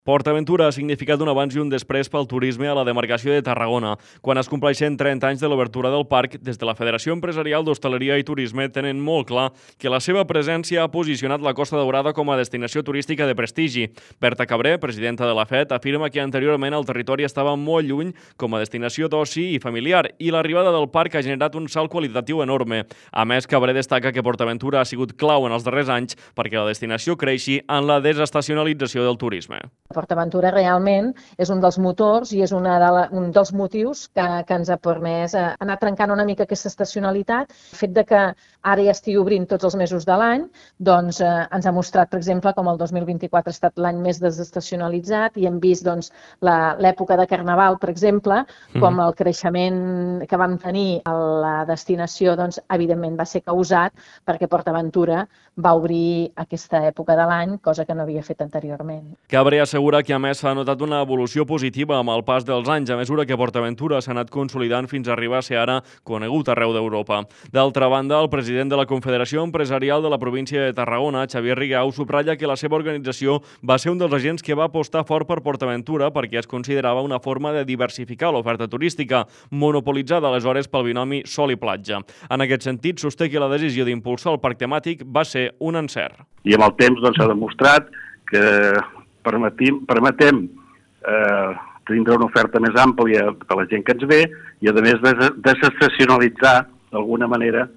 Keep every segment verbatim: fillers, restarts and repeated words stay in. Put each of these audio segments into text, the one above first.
PortAventura ha significat un abans i un després pel turisme a la demarcació de Tarragona. Quan es compleixen trenta anys de l'obertura del parc, des de la Federació Empresarial d'Hostaleria i Turisme tenen molt clar que la seva presència ha posicionat la Costa Daurada com a destinació turística de prestigi. Berta Cabré, presidenta de la F E T, afirma que anteriorment el territori estava molt lluny com a destinació d'oci i familiar i l'arribada del parc ha generat un salt qualitatiu enorme. A més, Cabré destaca que PortAventura ha sigut clau en els darrers anys perquè la destinació creixi en la desestacionalització del turisme. PortAventura realment és un dels motors i és una de la, un dels motius que, que ens ha permès anar trencant una mica aquesta estacionalitat. El fet de que ara ja estigui obrint tots els mesos de l'any doncs, eh, ens ha mostrat, per exemple, com el dos mil vint-i-quatre ha estat l'any més desestacionalitzat i hem vist doncs, l'època de Carnaval, per exemple, com el creixement que vam tenir a la destinació, doncs, evidentment va ser causat perquè PortAventura va obrir aquesta època de l'any, cosa que no havia fet anteriorment. Cabré assegura que a més s'ha notat una evolució positiva amb el pas dels anys a mesura que PortAventura s'ha anat consolidant fins a arribar a ser ara conegut arreu d'Europa. D'altra banda, el president de la Confederació Empresarial de la província de Tarragona, Xavier Rigau, subratlla que la seva organització va ser un dels agents que va apostar fort per PortAventura perquè es considerava una forma de diversificar l'oferta turística, monopolitzada aleshores pel binomi sol i platja. En aquest sentit, sosté que la decisió d'impulsar el parc temàtic va ser un encert. I amb el temps s'ha doncs, demostrat que permetim, permetem eh, tindre una oferta més àmplia per la gent que ens ve i, a més, desestacionalitzar d'alguna manera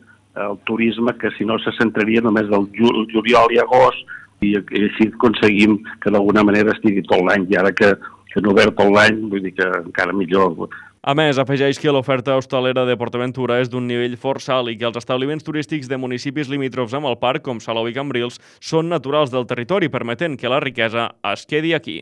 el turisme que, si no, se centraria només del juliol i agost i, i així aconseguim que d'alguna manera estigui tot l'any i ara que, que no obert tot l'any, vull dir que encara millor. A més, afegeix que l'oferta hostalera de PortAventura és d'un nivell força alt i que els establiments turístics de municipis limítrofs amb el parc, com Salou i Cambrils, són naturals del territori, permetent que la riquesa es quedi aquí.